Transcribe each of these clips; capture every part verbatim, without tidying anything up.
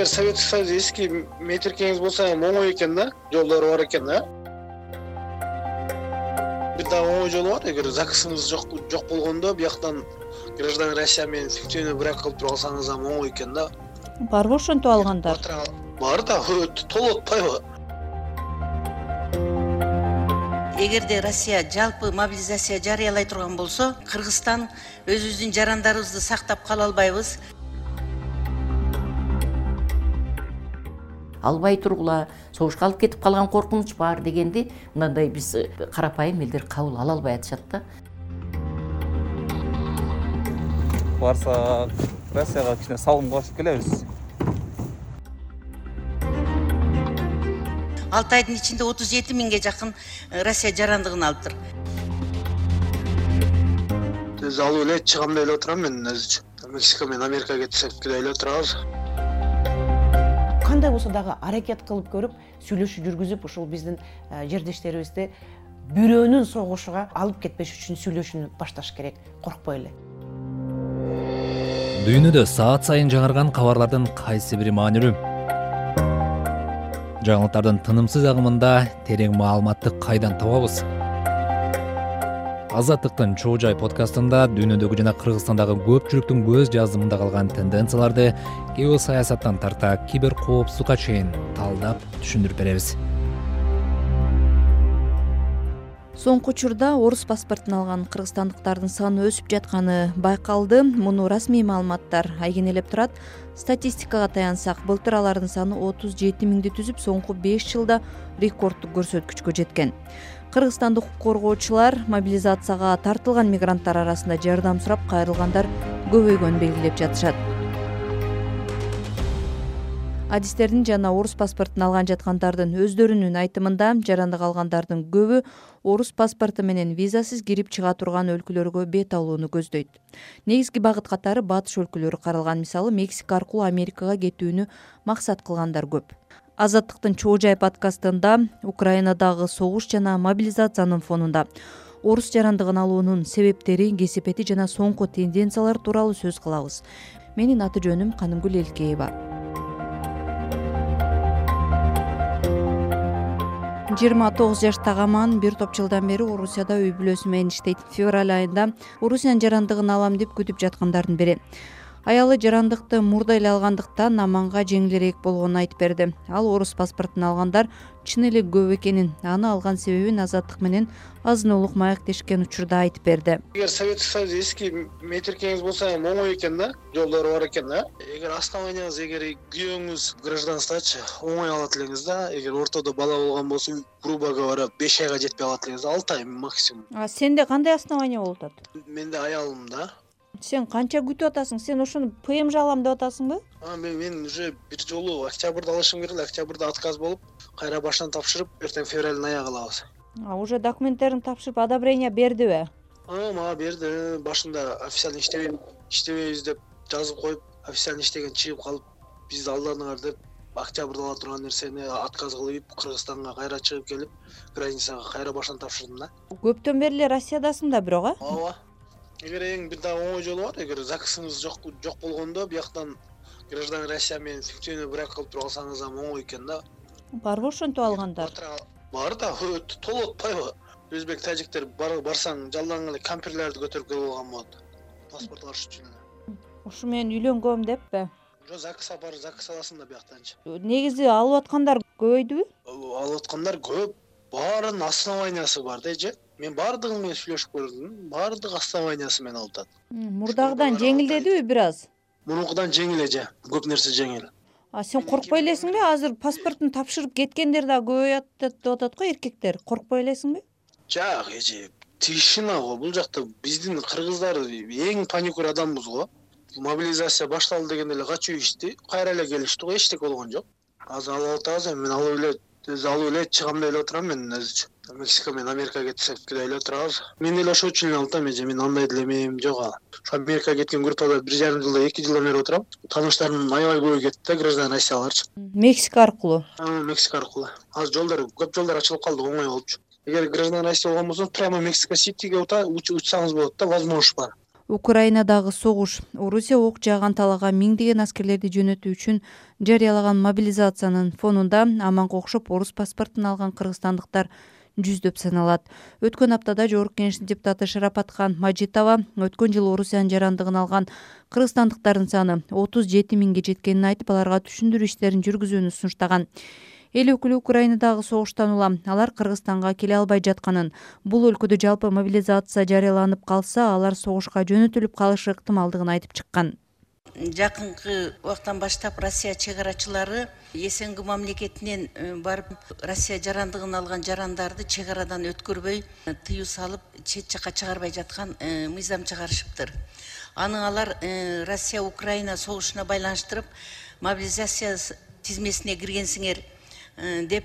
Эгер Советский Союз эски метиркеңиз болсо оңой экен да, жолдору бар экен да. Бир дагы оңой жолу бар. Эгер ЗАГСыңыз жок жок болгондо бияктан гражданин Россия менен фиктивный брак кылып туруп алсаңыз ham оңой экен да. Барбы ошентип алгандар? Бар да, толуп атпайбы? Эгерде Россия жалпы мобилизация жарыялай турган болсо, Кыргызстан өзүбүздүн жарандарыбызды сактап кала албайбыз. Албай тургула, согушка алып кетип калган коркунуч бар дегенди мындай биз карапайым элдер кабыл ала албай атышат да. Барса Россияга кичине салым кошуп келебиз. алты айдын ичинде отуз жети миңге жакын Россия жарандыгын алыптыр. Тез алып эле чыгам деп эле отурам мен өзүчө. Мексика менен Америкага кетсек деп эле отурабыз. Кандай болсо дагы аракет кылып көрүп, сүйлөшүү жүргүзүп, ушул биздин жердештерибизди бирөөнүн согушуга алып кетпеш үчүн сүйлөшүүнү башташ керек. Коркпой эле. Дүйнөдө саат сайын жаңырган кабарлардын кайсы бири маанилүү? Жаңылыктардын тынымсыз агымында терең маалыматты кайдан табабыз? Азаттыктын чоо жай подкастында дүйнөдөгү жана Кыргызстандагы көпчүлүктүн көз жазымында калган тенденцияларды геосаясаттан тарта киберкоопсуздукка чейин талдап түшүндүрүп беребиз. Соңку учурда орус паспортун алган кыргызстандыктардын саны өсүп жатканы байкалды. Муну расмий маалыматтар айгинелеп турат. Статистикага таянсак, былтыр алардын саны отуз жети миңди түзүп, соңку беш жылда рекорддук көрсөткүчкө жеткен. Кыргызстандык укук коргоочулар мобилизацияга тартылган мигранттар арасында жардам сурап кайрылгандар көбөйгөнүн белгилеп жатышат. Адистердин жана орус паспортун алган жаткандардын өздөрүнүн айтымында жарандык алгандардын көбү орус паспорту менен визасыз кирип чыга турган өлкөлөргө бет алууну көздөйт. Негизги багыт катары батыш өлкөлөрү каралган, мисалы Мексика аркылуу Америкага кетүүнү максат кылгандар көп. Азаттыктын чоо жай подкастында Украинадагы согуш жана мобилизациянын фонунда орус жарандыгын алуунун себептери, кесепети жана соңку тенденциялар тууралуу сөз кылабыз. Менин аты жөнүм Канымгүл Элкеева. жыйырма тогуз жаштагы Аман бир топ жылдан бери Орусияда үй бүлөсү менен иштейт. Февраль айында Орусиянын жарандыгын алам деп күтүп жаткандардын бири. Аялы жарандыкты мурда эле алгандыктан Аманга жеңилирээк болгонун айтып берди. Ал орус паспортун алгандар чын эле көп экенин, аны алган себебин Азаттык менен азын-улук маектешкен учурда айтып берди. Эгер Советский Союз эски метиркеңиз болсо оңой экен да, жолдору бар экен да. Эгер основанияңыз, эгер күйөөңүз гражданствочу оңой алат элеңиз да. Эгер ортодо бала болгон болсо, грубо говоря, беш айга жетпей алат элеңиз, алты ай максимум. А сенде кандай основания болуп атат? Менде аялым да. Сен канча күтүп атасың? Сен ошону ПМЖ алам деп атасыңбы? А мен мен уже бир жолу октябрда алышым керек эле, октябрда отказ болуп, кайра баштан тапшырып, эртең февралдын аягы алабыз. А уже документтериңди тапшырып, одобрение бердиби? А, мага берди. Башында официально иштебей, иштебейбиз деп жазып коюп, официально иштеген чыгып калып, бизди алдадыңар деп октябрда ала турган нерсени отказ кылып, Кыргызстанга кайра чыгып келип, границага кайра баштан тапшырдым да. Көптөн бери эле Россиядасың да бирок, а? Ооба. Эгер эң бир дагы оңой жолу бар. Эгер ЗАГСыңыз жок жок болгондо бияктан гражданин Россия менен фиктивный брак кылып туруп алсаңыз ham оңой экен да. Барбы ошентип алгандар? Бар да, толуп атпайбы? Өзбек, тажиктер барсаң жалдан эле кампирлерди көтөрүп келип алган болот. Паспорт алыш үчүн. Ушу мен үйлөнгөм деппи? Жок, ЗАГСка бар, ЗАГС аласың да бияктанчы. Негизи алып аткандар көбөйдүбү? Алып аткандар көп. Баарынын основаниясы бар да, мен баардыгы менен сүйлөшүп көрдүм. Баардык основаниясы менен алып атат. Мурдагыдан жеңилдедиби бир аз? Мунукудан жеңил эже, көп нерсе жеңил. А сен коркпой элесиңби? Азыр паспортун тапшырып кеткендер да көбөйөт деп атат го эркектер. Коркпой элесиңби? Жак, эже, тишина го. Бул жакта биздин кыргыздар эң паникур адамбыз го. Мобилизация башталды дегенде эле качуу ишти, кайра эле келишти го, эчтеке болгон жок. Азыр алып атабыз, мен алып эле Өз алып эле чыгам деп эле отурам мен өзүчө. Мексика менен Америкага кетсек деп эле отурабыз. Мен эле ошол үчүн эле алтам эже, мен андай делемем жок ала. Ошо Америкага кеткен группада бир жарым жылда, эки жылдан бери отурам. Тааныштарым аябай көп кетти да, граждан Россияларчы. Мексика аркылуу. А, Мексика аркылуу. Азыр жолдор, көп жолдор ачылып калды, оңой болупчу. Эгер граждан Россия болгон болсо, прямо Мексика Ситиге учсаңыз болот да, возможность бар. Украинадагы согуш. Орусия ок жааган талаага миңдеген аскерлерди жөнөтүү үчүн жарыялаган мобилизациянын фонунда Аманга окшоп орус паспортун алган кыргызстандыктар жүздөп саналат. Өткөн аптада Жогорку Кеңештин депутаты Шарапаткан Мажитова өткөн жылы Орусиянын жарандыгын алган кыргызстандыктардын саны отуз жети миңге жеткенин айтып, аларга түшүндүрүү иштерин жүргүзүүнү сунуштаган. Эл өкүлү Украинадагы согуштан улам алар Кыргызстанга келе албай жатканын, бул өлкөдө жалпы мобилизация жарыяланып калса, алар согушка жөнөтүлүп калышы ыктымалдыгын айтып чыккан. Жакынкы убактан баштап Россия чек арачылары СНГ мамлекетинен барып Россия жарандыгын алган жарандарды чек арадан өткөрбөй, тыюу салып, чет жакка чыгарбай жаткан мыйзам чыгарышыптыр. Аны алар Россия Украина согушуна байланыштырып, мобилизация тизмесине киргенсиңер деп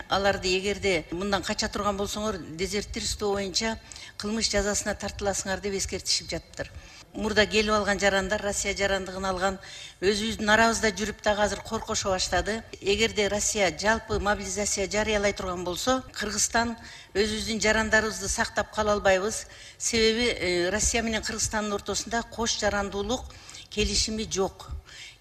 аларды эгерде мындан кача турган болсоңор дезертирство боюнча кылмыш жазасына тартыласыңар деп эскертишип жатыптыр. Мурда келип алган жарандар, Россия жарандыгын алган, өзүбүздүн арабызда жүрүп дагы азыр коркошо баштады. Эгерде Россия жалпы мобилизация жарыялай турган болсо, Кыргызстан өзүбүздүн жарандарыбызды сактап кала албайбыз. Себеби Россия менен Кыргызстандын ортосунда кош жарандуулук келишими жок.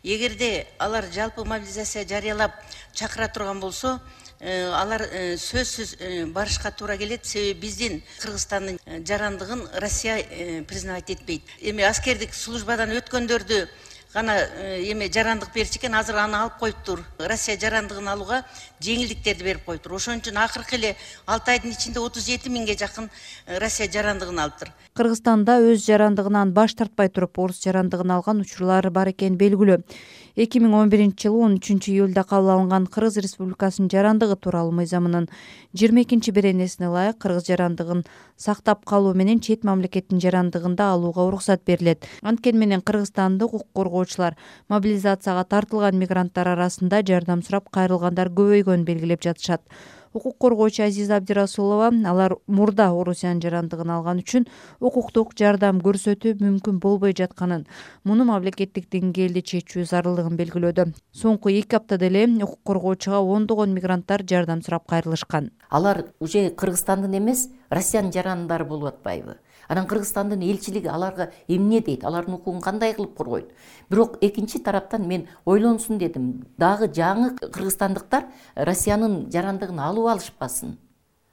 Эгерде алар жалпы мобилизация жарыялап чакыра турган болсо, алар сөзсүз барышка туура келет. Себеби биздин Кыргызстандын жарандыгын Россия признавать этпейт. Эми аскердик службадан өткөндөрдү гана эме жарандык берчү экен, азыр аны алып коюптур. Россия жарандыгын алууга жеңилдиктерди берип коюптур. Ошон үчүн акыркы эле алты айдын ичинде отуз жети миңге жакын Россия жарандыгын алыптыр. Кыргызстанда өз жарандыгынан баш тартпай туруп орус жарандыгын алган учурлар бар экени белгилүү. эки миң он биринчи жылы он үчүнчү июлда кабыл алынган Кыргыз Республикасынын жарандыгы тууралуу мыйзамынын жыйырма экинчи беренесине ылайык кыргыз жарандыгын сактап калуу менен чет мамлекеттин жарандыгында алууга уруксат берилет. Анткени менен кыргызстандык укук коргоочулар мобилизацияга тартылган мигранттар арасында жардам сурап кайрылгандар көбөйгөнүн белгилеп жатышат. Укук коргоочу Азиза Абдирасулова алар мурда Орусиянын жарандыгын алган үчүн укуктук жардам көрсөтүү мүмкүн болбой жатканын, муну мамлекеттик деңгээлде чечүү зарылдыгын белгилөөдө. Соңку эки аптада эле укук коргоочуга ондогон мигранттар жардам сурап кайрылышкан. Алар уже Кыргызстандын эмес, Россиянын жарандары болуп атпайбы? Анан Кыргызстандын элчилиги аларга эмне дейт, алардын укугун кандай кылып коргойт? Бирок экинчи тараптан мен ойлонсун дедим, дагы жаңы кыргызстандыктар Россиянын жарандыгын алып алышпасын.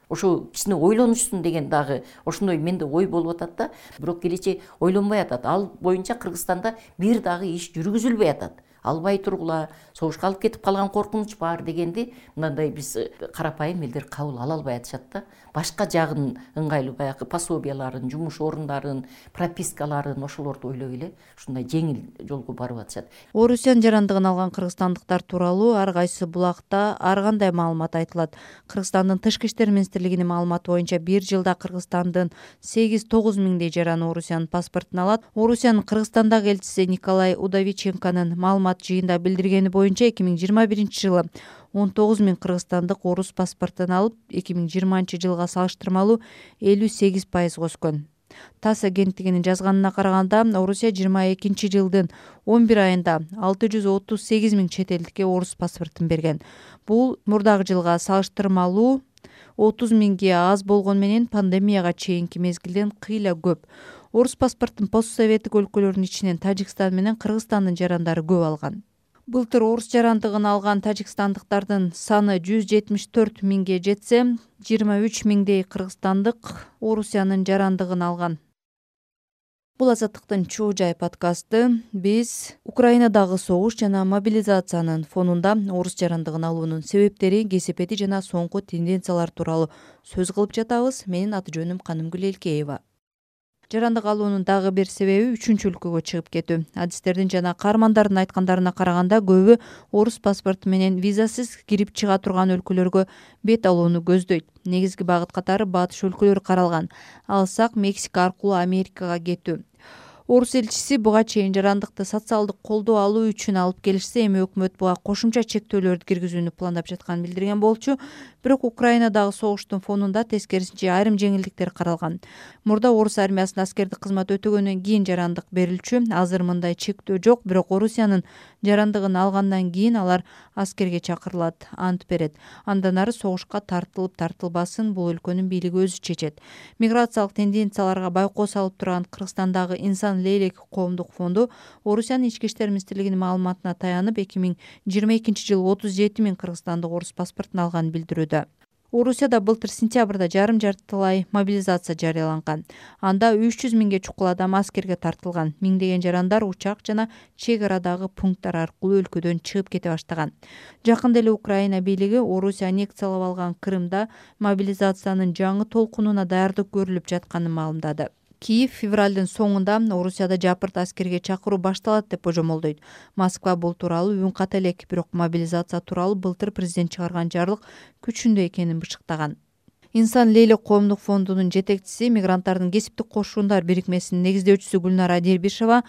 Ошо кичине ойлонушсун деген дагы ошондой менде ой болуп атат да, бирок келечек ойлонбой атат. Ал боюнча Кыргызстанда бир дагы иш жүргүзүлбөй атат. Албай тургула, согушка алып кетип калган коркунуч бар дегенди мындай биз карапайым элдер кабыл ала албай атышат да. Башка жагын ыңгайлуу баягы пособияларын, жумуш орундарын, пропискаларын ошолорду ойлой эле ушундай жеңил жолго барып атышат. Орусиянын жарандыгын алган кыргызстандыктар тууралуу ар кайсы булакта ар кандай маалымат айтылат. Кыргызстандын тышкы иштер министрлигинин маалыматы боюнча бир жылда Кыргызстандын сегиз тогуз миңдей жараны Орусиянын паспортун алат. Орусиянын Кыргызстандагы элчиси Николай Удовиченконун маалымат жыйында билдиргени боюнча эки миң жыйырма биринчи жылы он тогуз миң кыргызстандык орус паспортун алып, эки миң жыйырманчы жылга салыштырмалуу элүү сегиз пайызга өскөн. ТАСС агенттигинин жазганына караганда, Орусия жыйырма экинчи жылдын он бир айында алты жүз отуз сегиз миң чет элдикке орус паспортун берген. Бул мурдагы жылга салыштырмалуу отуз миңге аз болгону менен пандемияга чейинки мезгилден кыйла көп. Орус паспортун постсоветтик өлкөлөрдүн ичинен Тажикстан менен Кыргызстандын жарандары көп алган. Былтыр орус жарандыгын алган тажикстандыктардын саны жүз жетимиш төрт миңге жетсе, жыйырма үч миңдей кыргызстандык Орусиянын жарандыгын алган. Бул Азаттыктын чуу жай подкасты. Биз Украинадагы согуш жана мобилизациянын фонунда орус жарандыгын алуунун себептери, кесепети жана соңку тенденциялар тууралуу сөз кылып жатабыз. Менин аты жөнүм Канымгүл Элкеева. Жарандык алуунун дагы бир себеби үчүнчү өлкөгө чыгып кетүү. Адистердин жана каармандардын айткандарына караганда, көбү орус паспорту менен визасыз кирип чыга турган өлкөлөргө бет алууну көздөйт. Негизги багыт катары батыш өлкөлөрү каралган. Алсак Мексика аркылуу Америкага кетүү. Орус элчиси буга чейин жарандыкты социалдык колдоо алуу үчүн алып келишсе, эми өкмөт буга кошумча чектөөлөрдү киргизүүнү пландап жатканын билдирген болчу. Бирок Украинадагы согуштун фонунда тескерисинче айрым жеңилдиктер каралган. Мурда орус армиясында аскердик кызмат өтөгөндөн кийин жарандык берилчү. Азыр мындай чектөө жок, бирок Орусиянын жарандыгын алгандан кийин алар аскерге чакырылат, ант берет. Андан ары согушка тартылып тартылбасын бул өлкөнүн бийлиги өзү чечет. Миграциялык тенденцияларга байкоо салып турган Кыргызстандагы Инсан Лейлек коомдук фонду Орусиянын ички иштер министрлигинин маалыматына таянып, эки миң жыйырма экинчи жылы отуз жети миң кыргызстандык орус паспортун алганын билдирүүдө. Орусияда былтыр сентябрда жарым жартылай мобилизация жарыяланган. Анда үч жүз миңге чукул адам аскерге тартылган. Миңдеген жарандар учак жана чек арадагы пункттар аркылуу өлкөдөн чыгып кете баштаган. Жакында эле Украина бийлиги Орусия аннексиялап алган Крымда мобилизациянын жаңы толкунуна даярдык көрүлүп жатканын маалымдады. Киев февралдын соңунда Орусияда жапырт аскерге чакыруу башталат деп божомолдойт. Москва бул тууралуу үн ката элек, бирок мобилизация тууралуу былтыр президент чыгарган жарлык күчүндө экенин бышыктаган. Инсан Лейлек коомдук фондунун жетекчиси, мигранттардын кесиптик кошундар бирикмесинин негиздөөчүсү Гүлнара Дербишева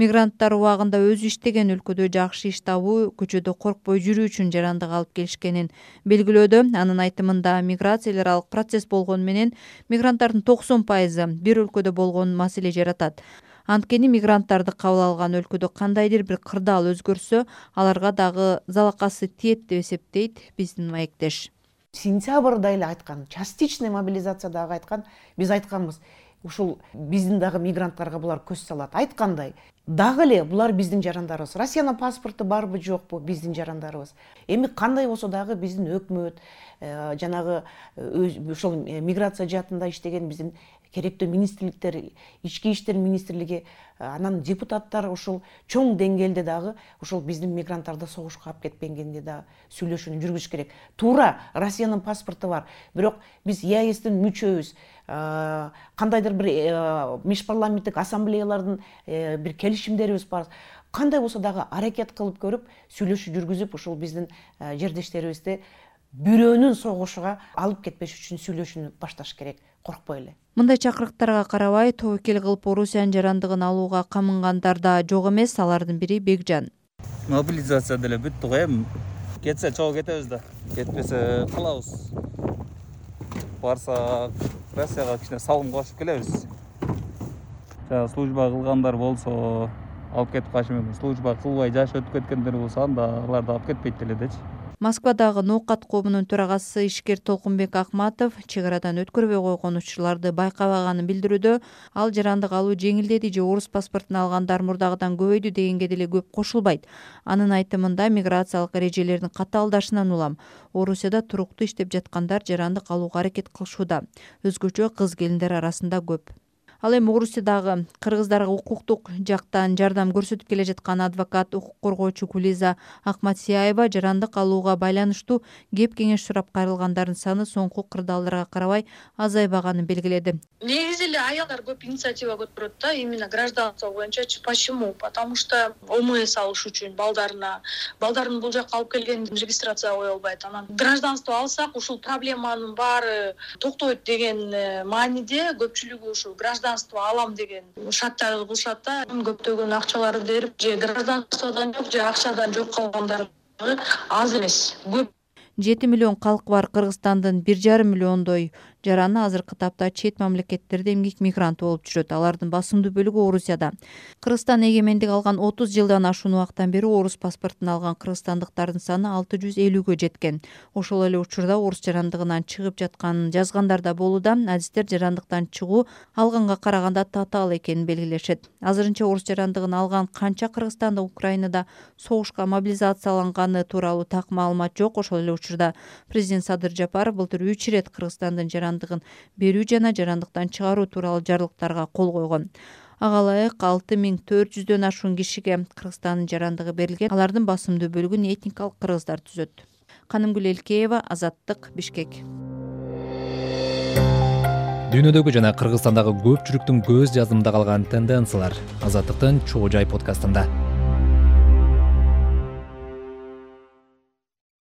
мигранттар убагында өзү иштеген өлкөдө жакшы иш табуу, көчөдө коркпой жүрүү үчүн жарандык алып келишкенин белгилөөдө. Анын айтымында миграциялар аралык процесс болгону менен мигранттардын токсон пайызы бир өлкөдө болгон маселе жаратат. Анткени мигранттарды кабыл алган өлкөдө кандайдыр бир кырдаал өзгөрсө, аларга дагы залакасы тиет деп эсептейт биздин маектеш. Сентябрда эле айткан, частичный мобилизация дагы айткан, биз айтканбыз. Ушул биздин дагы мигранттарга булар көз салат. Айткандай, дагы эле булар биздин жарандарыбыз. Россиянын паспорту барбы жокпу, биздин жарандарыбыз. Эми кандай болсо дагы биздин өкмөт, жанагы ошол миграция жаатында иштеген биздин керектүү министрликтер, ички иштер министрлиги, анан депутаттар ушул чоң деңгээлде дагы ушул биздин мигранттарды согушка алып кетпегенде да сүйлөшүүнү жүргүзүш керек. Туура Россиянын паспорту бар, бирок биз ЕАЭСтин мүчөбүз. Кандайдыр бир межпарламенттик ассамблеялардын бир келишимдерибиз бар. Кандай болсо дагы аракет кылып көрүп, сүйлөшүү жүргүзүп, ушул биздин жердештерибизди бирөөнүн согушуга алып кетпеш үчүн сүйлөшүүнү башташ керек. Коркпой эле. Мындай чакырыктарга карабай, тобокел кылып Орусиянын жарандыгын алууга камынгандар да жок эмес. Алардын бири Бекжан. Мобилизация деле бүттү го эми. Кетсе чогуу кетебиз да. Кетпесе кылабыз. Барса Россияга кичине салым кошуп келебиз. Жана служба кылгандар болсо алып кетип калышы мүмкүн. Служба кылбай жаш өтүп кеткендер болсо анда аларды алып кетпейт деле дечи. Москвадагы Ноокат коомунун төрагасы ишкер Толкунбек Акматов чек арадан өткөрбөй койгон учурларды байкабаганын билдирүүдө. Ал жарандык алуу жеңилдеди же орус паспортун алгандар мурдагыдан көбөйдү дегенге деле көп кошулбайт. Анын айтымында миграциялык эрежелердин катаалдашынан улам Орусияда туруктуу иштеп жаткандар жарандык алууга аракет кылышууда. Өзгөчө кыз келиндер арасында көп. Ал эми Орусиядагы кыргыздарга укуктук жактан жардам көрсөтүп келе жаткан адвокат, укук коргоочу Гулиза Акматсияева жарандык алууга байланыштуу кеп кеңеш сурап кайрылгандардын саны соңку кырдаалдарга карабай азайбаганын белгиледи. Негизи эле аялдар көп инициатива көтөрөт да, именно гражданство боюнча. Почему? Потому что ОМС алыш үчүн балдарына, балдарын бул жакка алып келгенде регистрация кое албайт. Анан гражданство алсак, ушул проблеманын баары токтойт деген мааниде көпчүлүгү ушул граждан алам деген шарттарды кылышат да. Көптөгөн акчаларды берип, же гражданстводан жок, же акчадан жок калгандар аз эмес, көп. жети миллион калкы бар Кыргызстандын бир жарым миллиондой жараны азыркы тапта чет мамлекеттерде эмгек мигранты болуп жүрөт. Алардын басымдуу бөлүгү Орусияда. Кыргызстан эгемендик алган отуз жылдан ашуун убакыттан бери орус паспортун алган кыргызстандыктардын саны алты жүз элүүгө жеткен. Ошол эле учурда орус жарандыгынан чыгып жатканын жазгандар да болууда. Адистер жарандыктан чыгуу алганга караганда татаал экенин белгилешет. Азырынча орус жарандыгын алган канча Кыргызстанда, Украинада согушка мобилизацияланганы тууралуу так маалымат жок. Ошол эле учурда президент Садыр Жапаров былтыр үч ирет Кыргызстандын жарандыгын берүү жана жарандыктан чыгаруу тууралуу жарлыктарга кол койгон. Ага ылайык алты миң төрт жүздөн ашуун кишиге Кыргызстандын жарандыгы берилген. Алардын басымдуу бөлүгүн этникалык кыргыздар түзөт. Канымгүл Элкеева, Азаттык, Бишкек. Дүйнөдөгү жана Кыргызстандагы көпчүлүктүн көз жазымында калган тенденциялар Азаттыктын Чоо Жай подкастында.